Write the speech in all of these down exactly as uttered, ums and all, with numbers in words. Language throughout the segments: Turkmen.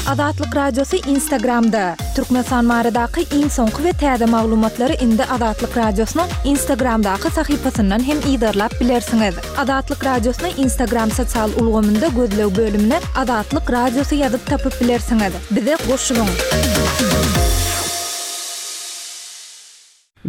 Azatlyk Radiosy Instagramda. Türkmenistan baradaky iň soňky we täze maglumatlary indi Azatlyk Radiosynyň Instagramdaky sahypasyndan hem yzarlap bilersiňiz. Azatlyk Radiosyny Instagram sosial ulgamynda gözleg bölümine Azatlyk Radiosy ýazyp tapyp bilersiňiz. Bize goşulyň.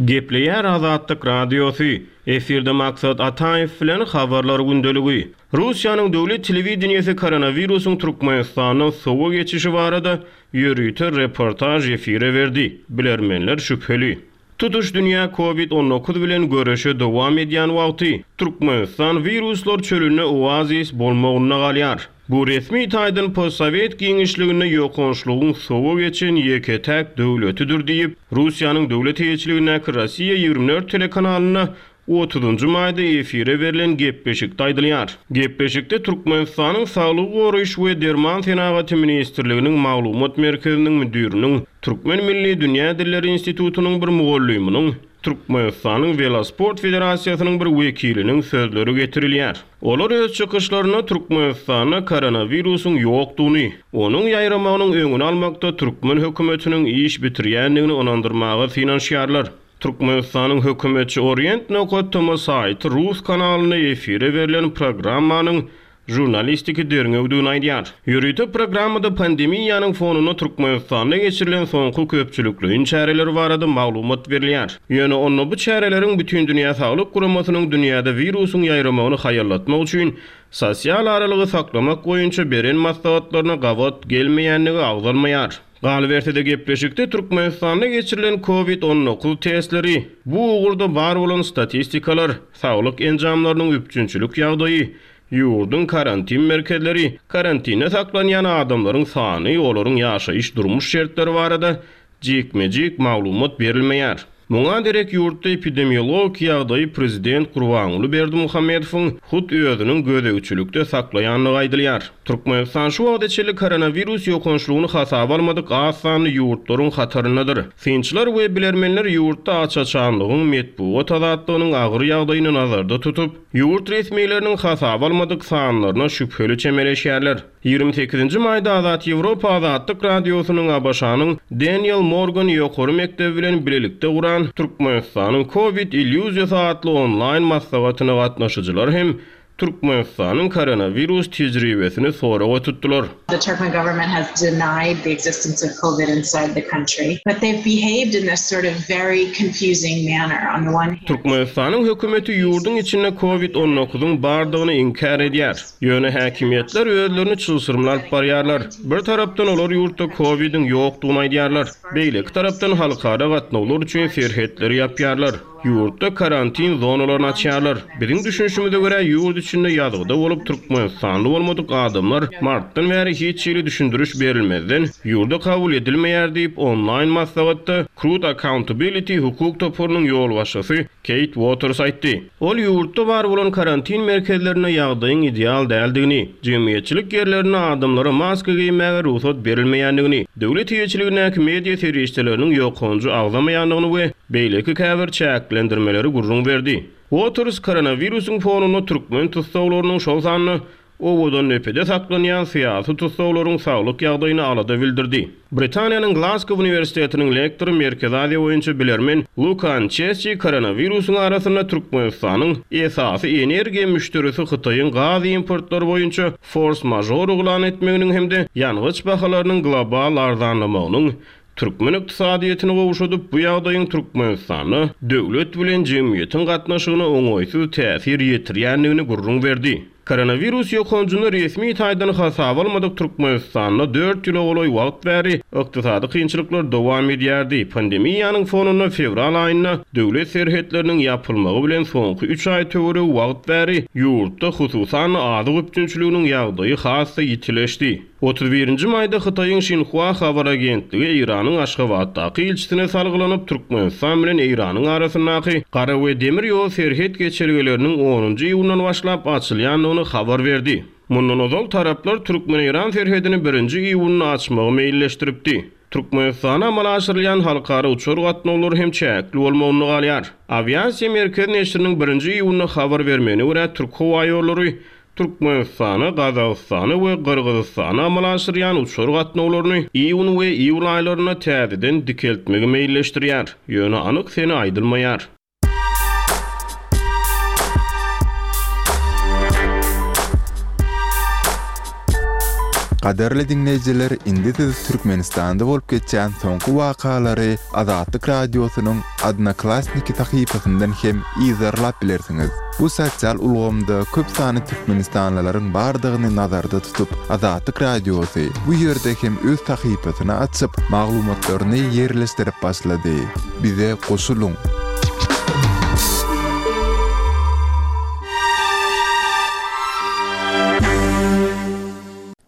Gepleýär Azatlyk Radiosy. Efirde Maksat Ataýew bilen habarlar gündeligi. Russiýanyň döwlet telewideniýesi koronawirusyň Türkmenistandan sowa geçişi barada ýörite reportaž efire berdi. Bilermenler şübheli. Tutuş dünýä COVID on dokuz bilen göreşe dowam edýän wagty Türkmenistan wiruslar çölünde oazis bolmagynda galýar. Bu resmi taýdan postsowet giňişliginde ýokançlygyň sowa geçen ýeke-täk döwletidir diýip, Russiýanyň döwlet eýeçiligindäki Rossiýa ýigrimi dört telekanalynda otuzynjy maýda efire berlen gepleşikde aýdylýar. Gepleşikde Türkmenistanyň Saglygy goraýyş we Derman senagaty ministrliginiň maglumat merkeziniň müdiriniň, Türkmen Milli Dünýä Dilleri Institutynyň bir mugallymynyň, Türkmenistanyň Velosport Federasiýasynyň bir wekiliniň sözleri getirilýär. Olar öz çykyşlarynda Türkmenistanda koronawirusyň ýokdugyny, onuň ýaýramagynyň öňüni almakda türkmen hökümetiniň iş bitirýändigini ynandyrmaga synanyşýarlar. Türkmenistanyň hökümetçi Orient nokta tm saýty Rus kanalynda efire berlen programmanyň jurnalistiki derňewdigini aýdýar. Ýörite programmada pandemiýanyň fonunda Türkmenistanda geçirilen soňky köpçülikleýin çäreler barada maglumat berilýär. Ýöne onda bu çäreleriň bütün dünýä saglyk guramasynyň dünýäde wirusyň ýaýramagyny haýallatmak üçin sosial aralygy saklamak boýunça beren maslahatlaryna gabat gelmeýändigi agzalmaýar. Galyberse-de gepleşikde Türkmenistanda geçirilen COVID on dokuz testleri, bu ugurda bar bolan statistikalar, saglyk enjamlarynyň üpjünçilik ýagdaýy, ýurduň karantin merkezleri, karantinde saklanýan adamlaryň sany, olaryň ýaşaýyş durmuş şertleri barada jikme-jik maglumat berilmeýär. Muňa derek ýurtda epidemiologik ýagdaýy prezident Gurbanguly Berdimuhamedowyň hut özüniň gözegçilikde saklaýandygy aýdylýar. Türkmenistan şu wagta çenli koronawirus ýokançlygyny hasaba almadyk az sanly ýurtlaryň hataryndadyr. Synçylar we bilermenler ýurtda aç-açanlygyň, metbugat azatlygynyň agyr ýagdaýyny nazarda tutup, ýurt resmileriniň hasaba almadyk sanlaryna şübheli çemeleşýärler. ýigrimi sekizinji maýda Azat Ýewropa Azatlyk Radiosynyň ABŞ-nyň Daniel Morgan ýokary mekdebi bilen bilelikde guran Türkmenistanyň COVID illýuziýasy atly onlaýn maslahatyna gatnaşyjylar hem Türkmenistanyň koronawirus tejribesini soraga tutdular. The Turkmen government has denied the existence of COVID inside the country, but they've behaved in this sort of very confusing manner. On the one hand, Türkmenistanyň hökümeti ýurduň içinde COVID on dokuzyň bardygyny inkär edýär. Ýöne häkimiýetler özlerini çylşyrymly alyp barýarlar. Bir tarapdan olar ýurtda COVIDiň ýokdugyny aýdýarlar. Beýleki tarapdan halkara gatnawlar üçin serhetleri ýapýarlar. Ýurtda karantin zonalaryny açýarlar. Biziň düşünişimize görä ýurt içinde ýazgyda bolup Türkmenistanly bolmadyk adamlar martdan bäri hiç hili düşündiriş berilmezden ýurda kabul edilmeýär diýip onlaýn maslahatda Crude Accountability hukuk toparynyň ýolbaşçysy Kate Waters aýtdy. Ol ýurtda bar bolan karantin merkezlerinde ýagdaýyň ideal däldigini, jemgyýetçilik ýerlerinde adamlara maska geýmäge rugsat berilmeýändigini, döwlet eýeçiligindäki media serişdeleriniň ýokanjy agzamaýandygyny we beýleki käbir çäklendirmeleri gürrüň berdi. Waters koronawirusyň fonunda türkmen tussaglarynyň şol sanda owadan nepede saklanýan syýasy tussaglaryň saglyk ýagdaýyny alada bildirdi. Britaniýanyň Glasgow Uniwersitetiniň lektory Merkezi Aziýa boýunça bilermen Luka Ançesçi koronawirusyň arasynda Türkmenistanyň esasy energiýa müşderisi Hytaýyň gaz importlary boýunça force majeure yglan etmeginiň hem-de ýangyç bahalarynyň global arzanlamagynyň türkmen ykdysadyýetini gowşadyp, bu ýagdaýyň Türkmenistanda döwlet bilen jemgyýetiň gatnaşygyna oňaýsyz täsir ýetirýändigini gürrüň berdi. Koronawirus ýokanjyny resmi taýdan hasaba almadyk Türkmenistanda dört ýyla golaý wagt bäri ykdysady kynçylyklar dowam edýärdi. Pandemiýanyň fonunda fewral aýynda döwlet serhetleriniň ýapylmagy bilen soňky üç aý töweregi wagt bäri ýurtda hususan azyk üpjünçiliginiň ýagdaýy has-da ýitileşdi. otuz birinji maýda Hytaýyň Xinhua habar agentligi Eýranyň Aşgabatdaky ilçisine salgylanyp Türkmenistan bilen Eýranyň arasyndaky gara we demir ýol serhet geçelgeleriniň onunjy iýundan başlap açylýandygyny habar berdi. Mundan ozal taraplar Türkmen-Eýran serhedini birinji iýunda açmagy meýilleşdiripdi. Türkmenistana amala aşyrylýan halkara uçar gatnawlary hem çäkli bolmagyny galýar. Awiasiýa merkezi neşiriniň birinji iýunda habar bermegine görä Türk howa ýollary Türkmenistana, Gazagystana we Gyrgyzystana amala aşyrýan uçar gatnawlaryny iýun we iýul aýlarynda täzeden dikeltmegi meýilleşdirýär. Ýöne anyk sene aýdylmaýar. Gadyrly diňleýjiler, indi siz Türkmenistanda bolup geçýän soňky wakalary Azatlyk Radiosynyň Odnoklassniki sahypasyndan hem yzarlap bilersiňiz. Bu sosial ulgamda köp sanly türkmenistanlylaryň bardygyny nazarda tutup, Azatlyk Radiosy bu ýerde hem öz sahypasyny açyp, maglumatlaryny ýerleşdirip başlady. Bize goşulyň!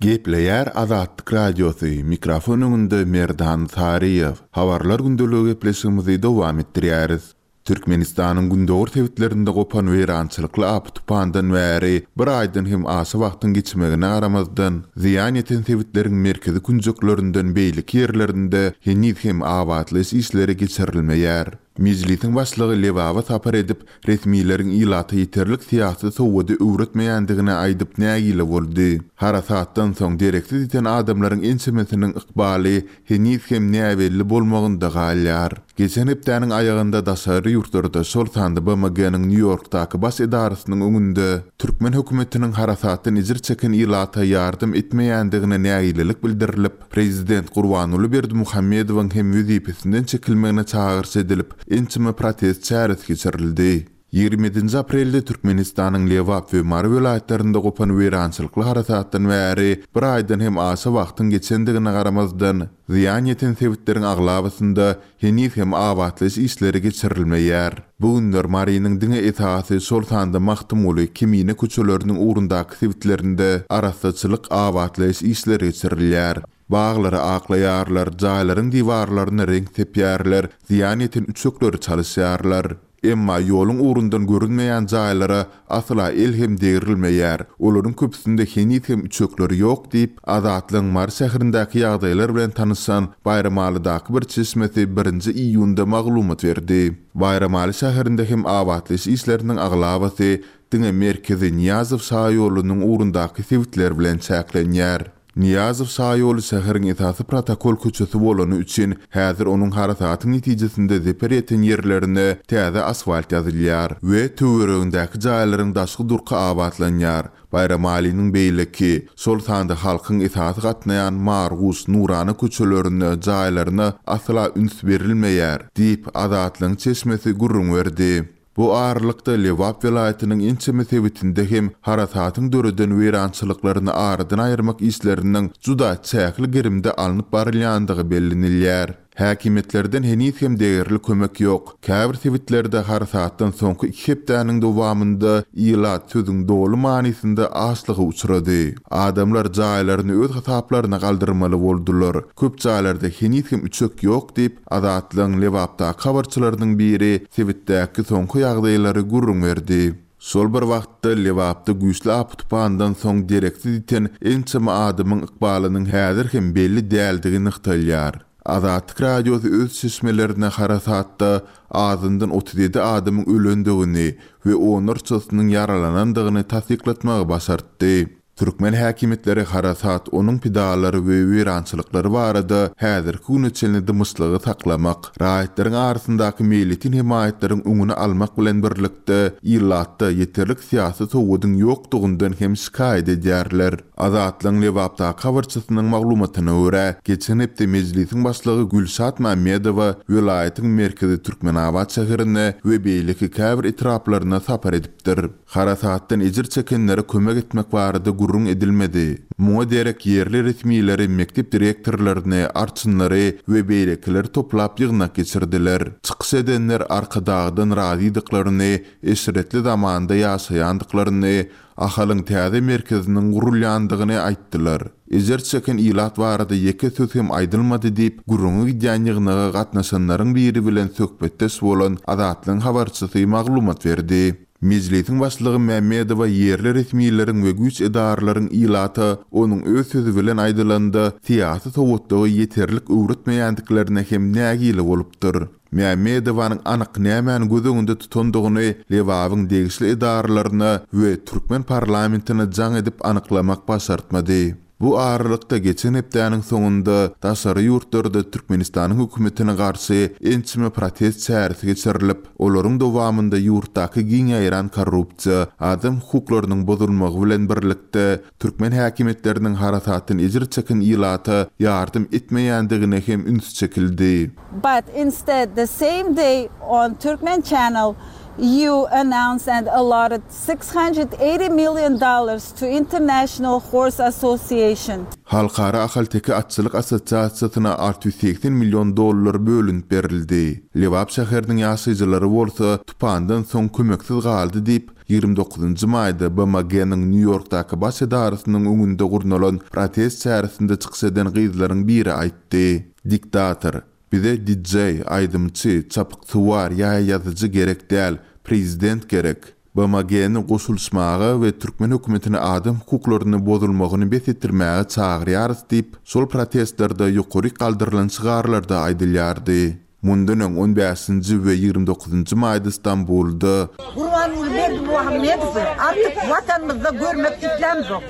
Gepleýär Azatlyk Radiosy, mikrofon öňünde Merdan Saryýew. Habarlar gündeligi gepleşigimizi dowam etdirýäris. Türkmenistanyň gündogar sebitlerinde gopan weýrançylykly apy-tupandan bäri bir aýdan hem aşa wagtyň geçmegine garamazdan, zyýan ýeten sebitleriň merkezi künjeklerinden beýleki ýerlerinde heniz hem abatlaýyş işleri geçirilmeýär. Mejlisiň başlygy Lebaba sapar edip, resmileriň ilata ýeterlik syýasy sowady öwretmeýändigini aýdyp nägile boldy. Harasatdan soň dereksiz ýiten adamlaryň ençemesiniň ykbaly heniz hem näbelli bolmagynda galýar. Geçen hepdäniň aýagynda daşary ýurtlarda, şol sanda B M G-niň Nýu-Ýorkdaky baş edarasynyň öňünde türkmen hökümetiniň harasatdan ejir çeken ilata ýardam etmeýändigine nägilelik bildirilip, prezident Gurbanguly Berdimuhamedowyň hem wezipesinden çekilmegine çagyryş edilip, ençeme protest çäresi geçirildi. Ýigrimi ýedinji aprelde Türkmenistanyň Lebap we Mary welaýatlarynda gopan weýrançylykly harasatdan bäri bir aýdan hem aşa wagtyň geçendigine garamazdan, zyýan ýeten sebitleriň aglabasynda heniz hem abatlaýyş işleri geçirilmeýär. Bu günler Marynyň diňe esasy, şol sanda Magtymguly, Kemine köçeleriniň ugrundaky sebitlerinde arassaçylyk abatlaýyş işleri geçirilýär. Baglary aklaýarlar, jaýlaryň diwarlaryna reňk sepýärler, zyýan ýeten üçekleri çalyşýarlar. Emma ýoluň ugrundan görünmeýän jaýlara asla el hem degrilmeýär. Olaryň köpüsinde heniz hem üçekleri ýok diýip, Azatlygyň Mary şäherindäki ýagdaýlar bilen tanyşan Baýramalydaky bir çeşmesi birinji iýunda maglumat berdi. Baýramaly şäherinde hem abatlaýyş işleriniň aglabasy diňe merkezi Nyýazow şaýolunyň ugrundaky sebitler bilen çäklenýär. Nyýazow şaýoly şäheriň esasy protokol köçesi bolany üçin häzir onuň harasatyň netijesinde zeper ýeten ýerlerine täze asfalt ýazylýar we töweregindäki jaýlaryň daşky durky abatlanýar. Baýramalynyň beýleki, şol sanda halkyň esasy gatnaýan Marguş, Nurana köçelerine, jaýlaryna asla üns berilmeýär diýip, Azatlygyň çeşmesi gürrüň berdi. Bu aralykda Lebap welaýatynyň ençeme sebitinde hem harasatyň döreden weýrançylyklaryny aradan aýyrmak işleriniň juda çäkli gerimde alnyp barylýandygy bellenilýär. Häkimiýetlerden heniz hem degerli kömek ýok. Käbir sebitlerde harasatdan soňky iki hepdäniň dowamynda ilat sözüň doly manysynda açlyga uçrady. Adamlar jaýlaryny öz hasaplaryna galdyrmaly boldular. Köp jaýlarda heniz hem üçek ýok diýip, Azatlygyň Lebapdaky habarçylarynyň biri sebitdäki soňky ýagdaýlary gürrüň berdi. Şol bir wagtda Lebapda güýçli apy-tupandan soň dereksiz ýiten ençeme adamyň ykbalynyň häzir hem belli däldigi nygtalýar. Azatlyk Radiosy öz çeşmelerine harasatda azyndan otuz ýedi adamyň ölendigini we onlarçasynyň ýaralanandygyny tassyklatmagy başartdy. Türkmen häkimiýetleri harasat, onuň pidalary we weýrançylyklary barada häzirki güne çenli dymyşlygy saklamak, raýatlaryň arasyndaky meýletin hemaýatlaryň öňüni almak bilen birlikde ilatda ýeterlik syýasy sowadyň ýokdugyndan hem şikaýat edýärler. Azatlygyň Lebapdaky habarçysynyň maglumatyna görä, geçen hepde Mejlisiň başlygy Gülşat Mämmedowa welaýatyň merkezi Türkmenabat şäherine we beýleki käbir etraplaryna sapar edipdir. Harasatdan ejir çekenlere kömek etmek barada gürrüň edilmedi. Muňa derek ýerli resmileri, mekdep direktorlaryny, arçynlary we beýlekileri toplap ýygnak geçirdiler. Çykyş edenler Arkadagdan razydyklaryny, eşretli zamanda ýaşaýandyklaryny, Ahalyň täze merkeziniň gurulýandygyny aýtdylar. Ejir çeken ilat barada ýeke söz hem aýdylmady diýip, gürrüňi gidýän ýygnaga gatnaşanlaryň biri bilen söhbetdeş bolan Azatlygyň habarçysy maglumat berdi. Mejlisiň başlygy Mämmedowa ýerli resmileriň we güýç edaralaryň ilata onuň öz sözi bilen aýdylanda syýasy sowatlygy ýeterlik öwretmeýändiklerine hem nägile bolupdyr. Mämmedowanyň anyk nämäni göz öňünde tutandygyny Lebabyň degişli edaralaryna we türkmen parlamentine jaň edip anyklamak başartmady. Bu aralykda geçen hepdäniň soňunda daşary ýurtlarda Türkmenistanyň hökümetine garşy ençeme protest çäresi geçirilip, olaryň dowamynda ýurtdaky giň ýaýran korrupsiýa, adam hukuklarynyň bozulmagy bilen birlikde türkmen häkimiýetleriniň harasatdan ejir çeken ilata ýardam etmeýändigine hem üns çekildi. But instead, the same day on Turkmen Channel, you announced and allotted six hundred eighty million dollars to International Horse Association. Halkara Ahalteke atçylyk assosiasiýasyna alty ýüz segsen million dollar bölünip berildi. Lebap şäheriniň ýaşaýjylary bolsa tupandan soň kömeksiz galdy diýip, ýigrimi dokuzynjy maýda B M G-niň Nýu-Ýorkdaky baş edarasynyň öňünde gurnalan protest çäresinde çykyş eden gyzlaryň biri aýtdy. Diktator, bize D J, aýdymçy, çapyksuwar ýa ýazyjy gerek däl, prezident gerek. B M G-ni goşulyşmaga we türkmen hökümetine adam hukuklaryny bozulmagyny bes etdirmäge çagyrýarys diýip, şol protestlerde ýokary galdyrylan şygarlarda aýdylýardy. Mundan öň on bäşinji we ýigrimi dokuzynjy maýda Stambulda Gurbanguly Berdimuhamedowy artık watanymyzda görmek islämzok.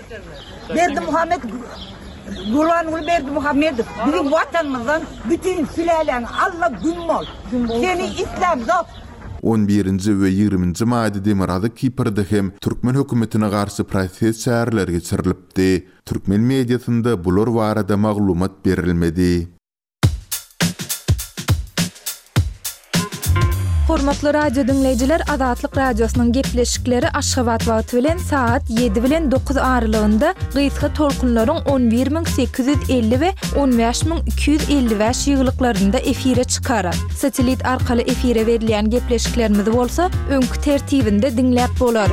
Berdimuhamed Gurbanguly Berdimuhamedow bizim watanymyzdan bütün süläläň alla gün bol. Seni islämzok. on birinji we ýigriminji maýda Demirgazyk Kiprde hem türkmen hökümetine garşy protest çäreleri geçirilipdi. Türkmen mediasynda bular barada maglumat berilmedi. Hormatly radio dinleýjiler, Azatlyk radiosynyň gepleşikleri Aşgabat wagty bilen saat ýedi bilen dokuz aralygynda gysga tolkunlaryň on bir müň sekiz ýüz elli we on bäş müň iki ýüz elli bäş ýyglyklarynda efire çykar. Satelit arkaly efire berilýän gepleşiklerimiz bolsa öňkü tertibinde diňläp bolar.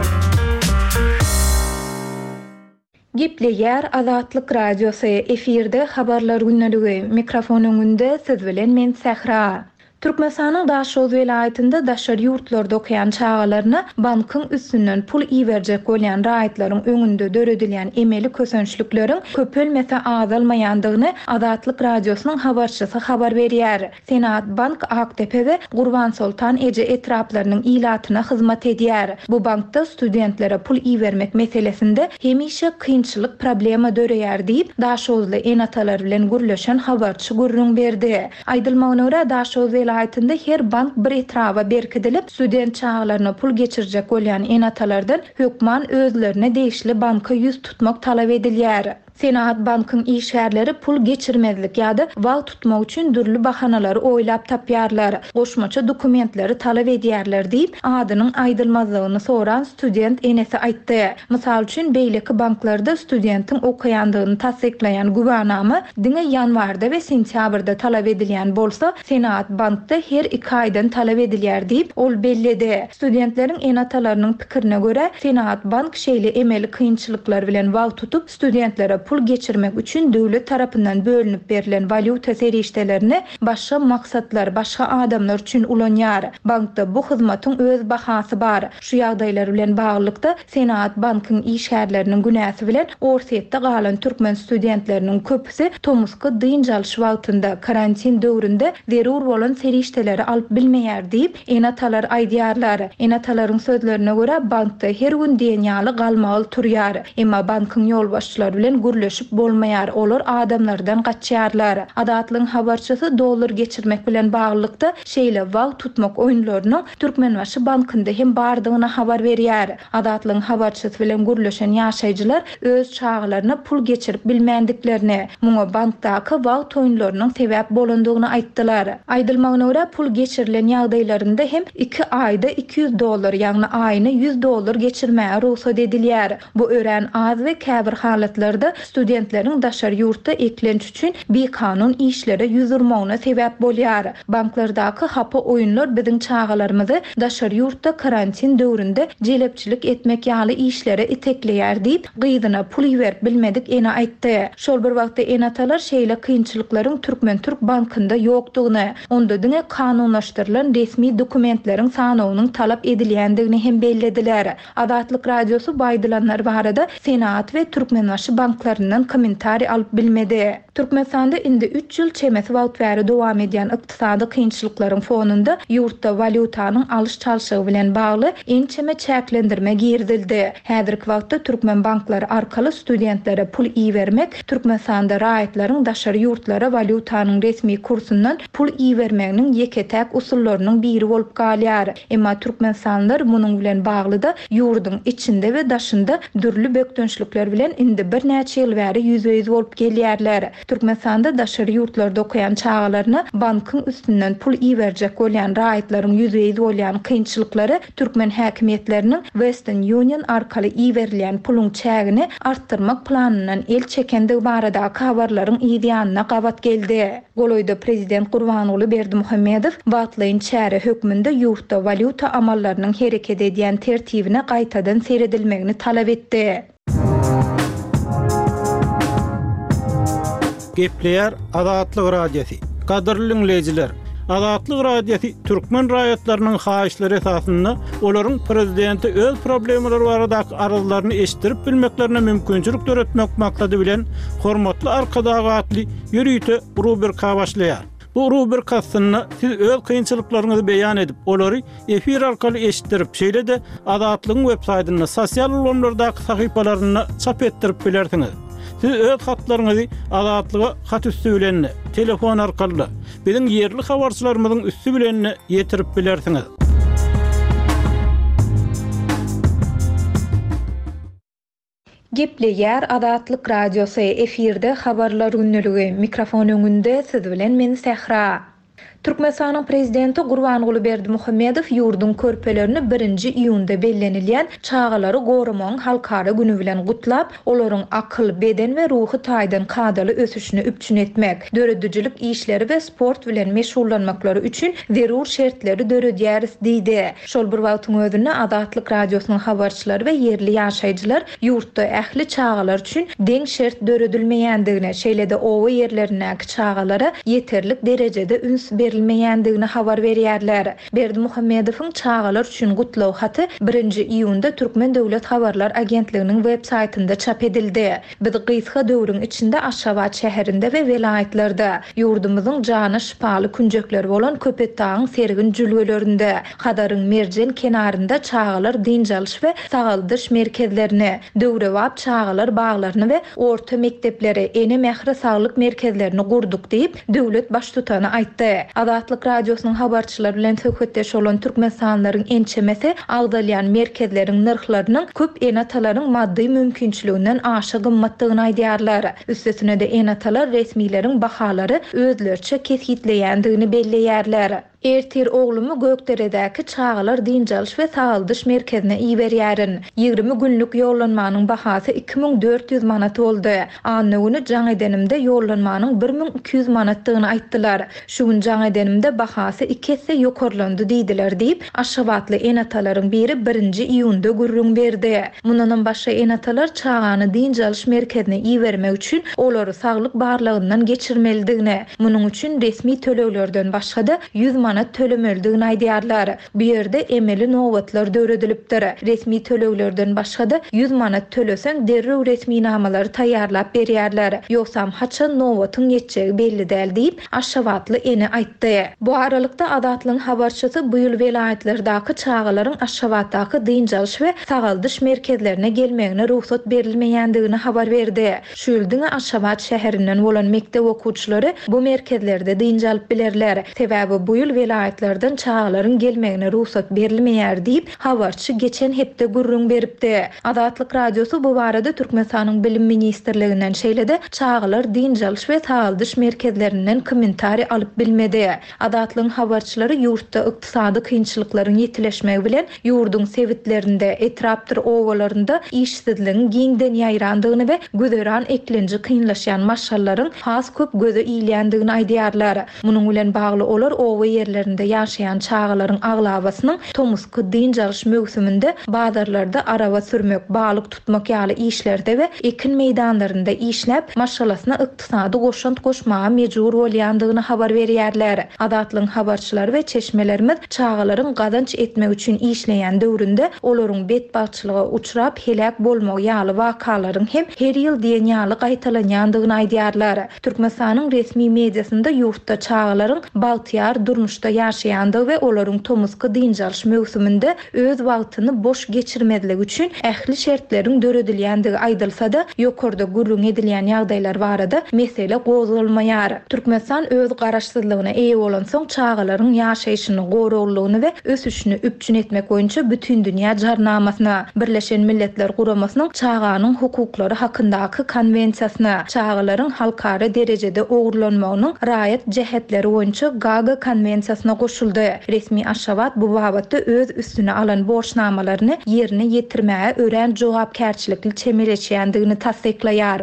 Gepleýär Azatlyk radiosy efirde habarlar günlügi. Mikrofon öňünde siz bilen men Sähra. Türkmenistanyň Daşoguz welaýatynda daşary ýurtlarda okaýan çagalaryna bankyň üstünden pul iberjek bolýan raýatlaryň öňünde döredilýän emeli kösençlikleriň köpelmese azalmaýandygyny Azatlyk radiosynyň habarçysy habar berýär. Senat Bank Aktepe we Gurbansoltan eje etraplarynyň ilatyna hyzmat edýär. Bu bankda studentlere pul ibermek meselesinde hemişe kynçylyk problema döreýär diýip, Daşoguzly ene-atalar bilen gürleşen habarçy gürrüň berdi. Aýdylmagyna görä, Daşoguz welaýatynda her bank bir etraba berkidilip, student çagalaryna pul geçirjek bolýan ene-atalardan hökman özlerine degişli banka ýüz tutmak talap edilýär. Senat Bankyň işgärleri pul geçirmezlik ýa-da wagt tutmak üçin dürli bahanalary oýlap tapýarlar. Goşmaça dokumentleri talap edýärler diýip, adynyň aýdylmazlygyny soran student enesi aýtdy. Mysal üçin, beýleki banklarda studentiň okaýandygyny tassyklaýan güwanama diňe ýanwarda we sentýabrda talap edilýän bolsa, Senat Bankda her iki aýdan talap edilýär diýip, ol belledi. Studentleriň ene-atalarynyň pikirine görä, Senat Bank şeýle emeli kynçylyklar bilen wagt tutup, studentlere pul geçirmek üçin döwlet tarapyndan bölünip berlen walýuta serişdelerini başga maksatlar, başga adamlar üçin ulanýar. Bankda bu hyzmatyň öz bahasy bar. Şu ýagdaýlar bilen baglylykda Senat Bankyň işgärleriniň günäsi bilen Orsýetde galan türkmen studentleriniň köpüsi tomusky dynç alyş wagtynda karantin döwründe zerur bolan serişdeleri alyp bilmeýär diýip, ene-atalar aýdýarlar. Ene-atalaryň sözlerine görä bankda her gün diýen ýaly galmaly turýar. Emma bankyň ýolbaşçylary bilen gürleşip bolmaýar. Olar adamlardan gaçýarlar. Adatlyň habarçysy dollar geçirmek bilen baglylykda şeýle wagt tutmak oýunlarynyň Türkmenbaşy bankynda hem bardygyny habar berýär. Adatlyň habarçysy bilen gürleşen ýaşaýjylar öz çagalaryna pul geçirip bilmändiklerini, muňa bankdaky wagt oýunlarynyň sebäp bolandygyny aýtdylar. Aýdylmagyna görä pul geçirilen ýagdaýlarynda hem iki aýda iki ýüz dollar, ýagny aýyna ýüz dollar geçirmäge rugsat edilýär. Bu örän az we käbir halatlarda studentleriň daşary ýurtda eklenç üçin bikanun işlere ýüz urmagyna sebäp bolýar. Banklardaky hapa oýunlar biziň çagalarymyzy daşary ýurtda karantin döwründe jelepçilik etmek ýaly işlere itekleýär diýip, gyzyna pul iberip bilmedik ene aýtdy. Şol bir wagtda ene-atalar şeýle kynçylyklaryň Türkmen-Türk bankynda ýokdugyny, onda diňe kanunlaşdyrylan resmi dokumentleriň sanawynyň talap edilýändigini hem bellediler. Azatlyk radiosy bu aýdylanlar barada Senat we Türkmenbaşy banklaryna taraplaryndan kommentariý alyp bilmedi. Türkmenistanda indi üç ýyl çemesi wagt bäri dowam edýän ykdysady kynçylyklaryň fonunda ýurtda walýutanyň alyş-çalşygy bilen bagly ençeme çäklendirme girizildi. Häzirki wagtda türkmen banklary arkaly studentlere pul ibermek Türkmenistanda raýatlaryň daşary ýurtlara walýutanyň resmi kursundan pul ibermeginiň ýeke-täk usullarynyň biri bolup galýar. Emma türkmenistanlylar munuň bilen bagly-da ýurduň içinde we daşynda dürli bökdençlikler bilen indi birnäçe ýyl bäri ýüzbe-ýüz bolup gelýärler. Türkmenistanda daşary ýurtlarda okaýan çagalaryna bankyň üstünden pul iberjek bolýan raýatlaryň ýüzbe-ýüz bolýan kynçylyklary türkmen häkimiýetleriniň Western Union arkaly iberilýän puluň çägini artdyrmak planyndan el çekendigi baradaky habarlaryň ýanyna gabat geldi. Golaýda prezident Gurbanguly Berdimuhamedow wagtlaýyn çäre hökmünde ýurtda walýuta amallarynyň hereket edýän tertibine gaýtadan seredilmegini talap etdi. Gepleýär Azatlyk Radiosy. Gadyrly dinleýjiler, Azatlyk Radiosy türkmen raýatlarynyň haýyşlary esasynda olaryň prezidenti öz problemalary baradaky arzlaryny eşitdirip bilmeklerine mümkinçilik döretmek maksady bilen Hormatly Arkadag atly ýörite rubrika başlaýar. Bu rubrika aslynda siz öz kynçylyklaryňyzy beýan edip, olary efir arkaly eşitdirip, şeýle-de Azatlygyň web saýtynda, sosial ulgamlardaky sahypalarynda çap etdirip bilersiňiz. Siz öz hatlaryňyzy Azatlyga hat üstü bilen, telefon arkaly, biziň ýerli habarçylarymyzyň üstü bilen ýetirip bilersiňiz. Gepleýär Azatlyk Radiosy, efirde habarlar günlügi, mikrofon öňünde siz bilen men Sähra. Türkmenistanyň prezidenti Gurbanguly Berdimuhamedow ýurduň körpelerini birinji iýunda bellenilýän çagalary goramagyň halkara günü bilen gutlap, olaryň akyl, beden we ruhy taýdan kadaly ösüşini üpjün etmek, döredijilik işleri we sport bilen meşgullanmaklary üçin zerur şertleri döredýäris diýdi. Şol bir wagtyň özünde Azatlyk Radiosynyň habarçylary we ýerli ýaşaýjylar ýurtda ähli çagalar üçin deň şert döredilmeýändigini, şeýle-de oba ýerlerindäki çagalara ýeterlik derejede üns berilmeýändigini habar berýärler. Berdimuhamedowyň çagalar üçin gutlag haty birinji iýunda Türkmen Döwlet Habarlar Agentliginiň web saýtynda çap edildi. Biz gysga döwrüň içinde Aşgabat şäherinde we welaýatlarda ýurdumyzyň jana şypaly künjekleri bolan Köpetdagyň sergin jülgelerinde, Hadaryň merjen kenarynda çagalar dynç alyş we sagaldyş merkezlerini, döwrebap çagalar baglaryny we orta mekdepleri, ene mähri saglyk merkezlerini gurduk diýip, döwlet baştutany aýtdy. Azatlyk Radiosynyň habarçylary bilen söhbetdeş bolan türkmenistanlylaryň ençemesi agzalýan merkezleriň nyrhlarynyň köp ene-atalaryň maddy mümkinçiliginden aşa gymmatdygyny aýdýarlar. Üstesine-de ene-atalar resmileriň bahalary özlerçe kesgitleýändigini belleýärler. Ertir oglumy Gökderedäki çagalar dynç alyş we sagaldyş merkezine iberýärin. Ýigrimi günlük ýollanmanyň bahasy iki müň dört ýüz manat boldy. Anna güni jaň edenimde ýollanmanyň bir müň iki ýüz manatdygyny aýtdylar. Şu gün jaň edenimde bahasy iki esse ýokarlandy diýdiler diýip, Aşgabatly ene-atalaryň biri birinji iýunda gürrüň berdi. Mundanam başga ene-atalar çagany dynç alyş merkezine ibermek üçin olary saglyk barlagyndan geçirmelidigini, munuň üçin resmi töleglerden başga-da ýüz manat tölemelidigini aýdýarlar. Bu ýerde emeli nobatlar döredilipdir. Resmi töleglerden başga-da ýüz manat töleseň derrew resminamalary taýýarlap berýärler. Ýogsam haçan nobatyň ýetjegi belli däl diýip, Aşgabatly ene aýtdy. Bu aralykda Azatlygyň habarçysy bu ýyl welaýatlardaky çagalaryň Aşgabatdaky dynç alyş we sagaldyş merkezlerine gelmegine rugsat berilmeýändigini habar berdi. Şu ýyl diňe Aşgabat şäherinden bolan mekdep okuwçylary bu merkezlerde dynç alyp bilerler. Sebäbi bu ýyl welaýatlardan çagalaryň gelmegine rugsat berilmeýär diýip, habarçy geçen hepde gürrüň beripdi. Azatlyk Radiosy bu barada Türkmenistanyň Bilim Ministrliginden şeýle-de çagalar dynç alyş we sagaldyş merkezlerinden kommentariý alyp bilmedi. Azatlygyň habarçylary ýurtda ykdysady kynçylyklaryň ýetileşmegi bilen ýurduň sebitlerinde, etrapdyr obalarynda işsizligiň giňden ýaýrandygyny we güzeran eklenji kynlaşýan maşgalalaryň has köp göze ilýändigini aýdýarlar. Munuň bilen bagly olar oba ýerlerindäki ýerlerinde ýaşaýan çagalaryň aglabasynyň tomusky dynç alyş möwsüminde bazarlarda araba sürmek, balyk tutmak ýaly işlerde we ekin meýdanlarynda işläp, maşgalasyna ykdysady goşant goşmaga mejbur bolýandygyny habar berýärler. Azatlygyň habarçylary we çeşmelerimiz çagalaryň gazanç etmek üçin işleýän döwründe olaryň betbagtçylyga uçrap heläk bolmagy ýaly wakalaryň hem her ýyl diýen ýaly gaýtalanýandygyny aýdýarlar. Türkmenistanyň resmi mediasynda ýurtda çagalaryň bagtyýar durmuşda ýaşaýandygy we olaryň tomusky dynç alyş möwsüminde öz wagtyny boş geçirmezligi üçin ähli şertleriň döredilýändigi aýdylsa-da, ýokarda gürrüň edilýän ýagdaýlar barada mesele gozgalmaýar. Türkmenistan öz garaşsyzlygyna eýe bolansoň çagalaryň ýaşaýşyny, goraglylygyny we ösüşini üpjün etmek boýunça Bütindünýä Jarnamasyna, Birleşen Milletler Guramasynyň çaganyň hukuklary hakyndaky konwensiýasyna, çagalaryň halkara derejede ogurlanmagynyň raýat jähetleri boýunça Gaga konwensiýasyna goşuldy. Resmi Aşgabat bu babatda öz üstüne alan borçnamalaryny ýerine ýetirmäge örän jogapkärçilikli çemeleşýändigini tassyklaýar.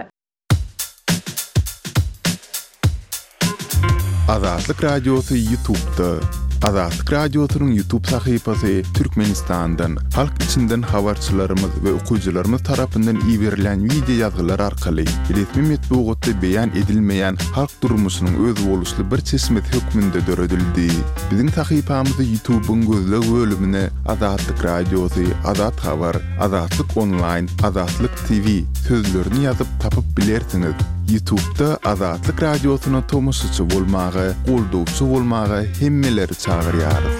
Azatlyk Radiosy YouTube'da. Azatlyk Radiosynyň YouTube sahypasy Türkmenistandan, halk içinden habarçylarymyz we okyjylarymyz tarapyndan iberilen wideo ýazgylar arkaly resmi metbugatda beýan edilmeýän halk durmuşynyň özboluşly bir çeşmesi hökmünde döredildi. Biziň sahypamyzy YouTube'yň gözleg bölümine Azatlyk Radiosy, Azat Habar, Azatlyk Online, Azatlyk T V sözlerini ýazyp tapyp bilersiňiz. YouTube'da Azatlyk Radiosyna tomaşaçy bolmaga, goldawçy bolmaga hemmeleri çagyrýarys.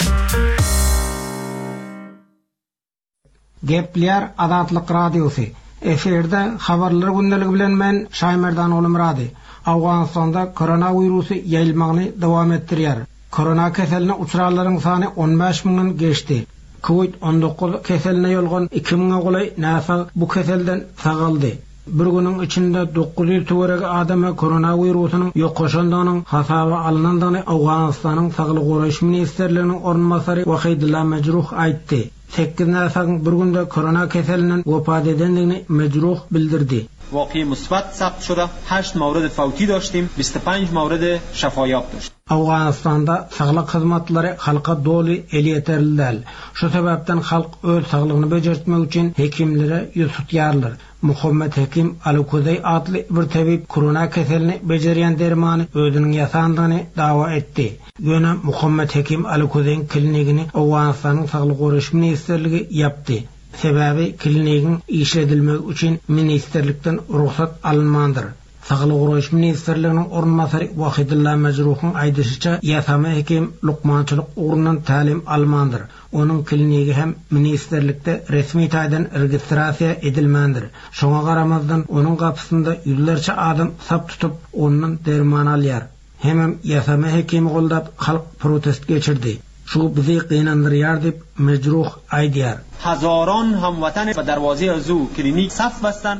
Gepleýär Azatlyk Radiosy. Efirde habarlar gündeligi bilen men Şaýmerdan Oglumyrady. Awganystanda koronawirusy ýaýylmagyny dowam etdirýär. Korona keseline uçranlaryň sany on bäş müňden geçdi. Covid on dokuz keseline ýolgan iki müňe golaý näsag bu keselden sagaldy. Bir günüň içinde dokuz ýüz töweregi adama koronawirusynyň ýokaşandygynyň hasaba alynandygyny Awganystanyň Saglyk goraýyş ministrliginiň orunbasary Wahidullah Mejruh aýtdy. Sekiz näsagyň bir günde korona keselinden wepat edendigini Mejruh bildirdi. واقعی مثبت ثبت شده، هشت مورد فوتی داشتیم، بیست و پنج مورد شفایاب داشتیم. Awganystanda saglyk hyzmatlary halka doly elýeterli däl. Şu sebäpden halk öz saglygyny bejertmek üçin hekimlere ýüz tutýarlar. Muhammed Hekim Alukozey adly bir tebip korona keselini bejerýän dermany özüniň ýasandygyny dawa etdi. Ýöne Muhammed Hekim Alukozeýiň klinigini Awganystanyň Saglyk goraýyş ministrligi ýapdy. Sebäbi klinigiň işledilmegi üçin ministrlikden rugsat alynmandyr. Saglyk goraýyş ministrliginiň orunbasary Wahidullah Mejruhyň aýdyşyça ýasama hekim lukmançylyk ugrundan tälim almandyr. Onuň klinigi hem ministrlikde resmi taýdan registrasiýa edilmändir. Şoňa garamazdan onuň gapysynda ýüzlerçe adam sap tutup ondan derman alýar. Hemem ýasama hekimi goldap halk protest geçirdi. Şu bizi gynandyrýar diýip Mejruh aýdýar. Hazaron hamwatan ba darwaze azu klinik saf bastan.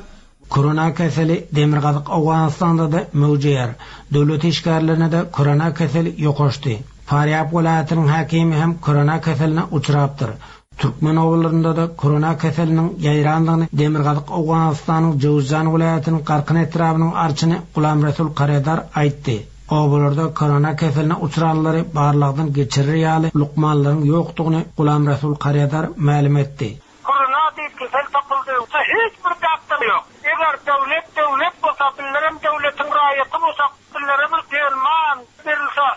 Korona keseli Demirgazyk Awganystanda da möwjeýär. Döwlet işgärlerine de korona keseli ýokaşdy. Farýab welaýatynyň häkimi hem korona keseline uçrapdyr. Türkmen obalarynda da korona keseliniň ýaýrandygyny Demirgazyk Awganystanyň Jowzjan welaýatynyň Garkyn etrabynyň arçyny Gulam Resul Karedar aýtdy. Obalarda korona keseline uçranlary barlagdan geçirir ýaly lukmanlaryň ýokdugyny Gulam Resul Karedar mälim etdi. Korona diýip kesel tapyldy. Hiç bir doktor ýok. Eger döwlet döwlet bolsa, billerem döwletiň raýaty bolsa, billerem bir derman berilse.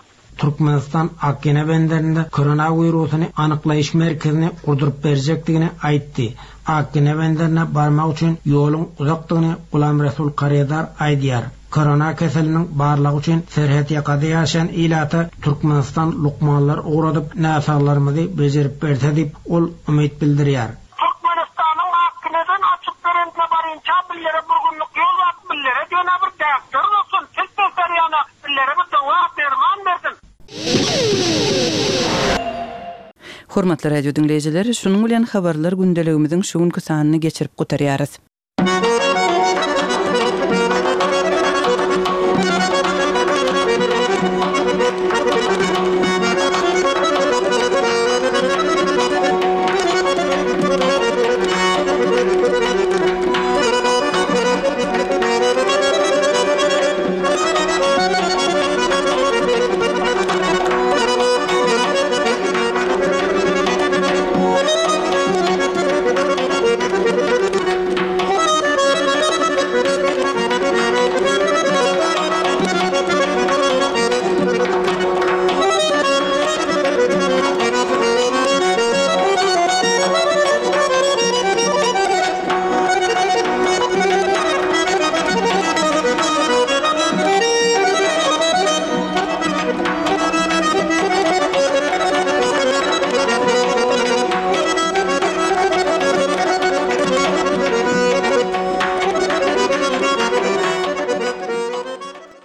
Türkmenistan Akgene benderinde koronawirusyny anyklaýyş merkezini gurduryp berjekdigini aýtdy. Akgene benderine barmak üçin ýoluň uzakdygyny Gulam Resul Karedar aýdýar. Korona keseliniň barlagy üçin serhet ýakada ýaşaýan ilata Türkmenistan lukmanlar ugradyp näsaglarymyzy bejerip berse diýip ol umyt bildirýär. Türkmenistanyň Akgeneden açyp berende barynça billere bir günlük ýol bar, billere diýen bir doktor bolsun, siz beser ýana billere bir dawa derman bersin. Hormatly radio dinleýjiler, şunuň bilen habarlar gündeligimiziň şu günki sanyny geçirip gutarýarys.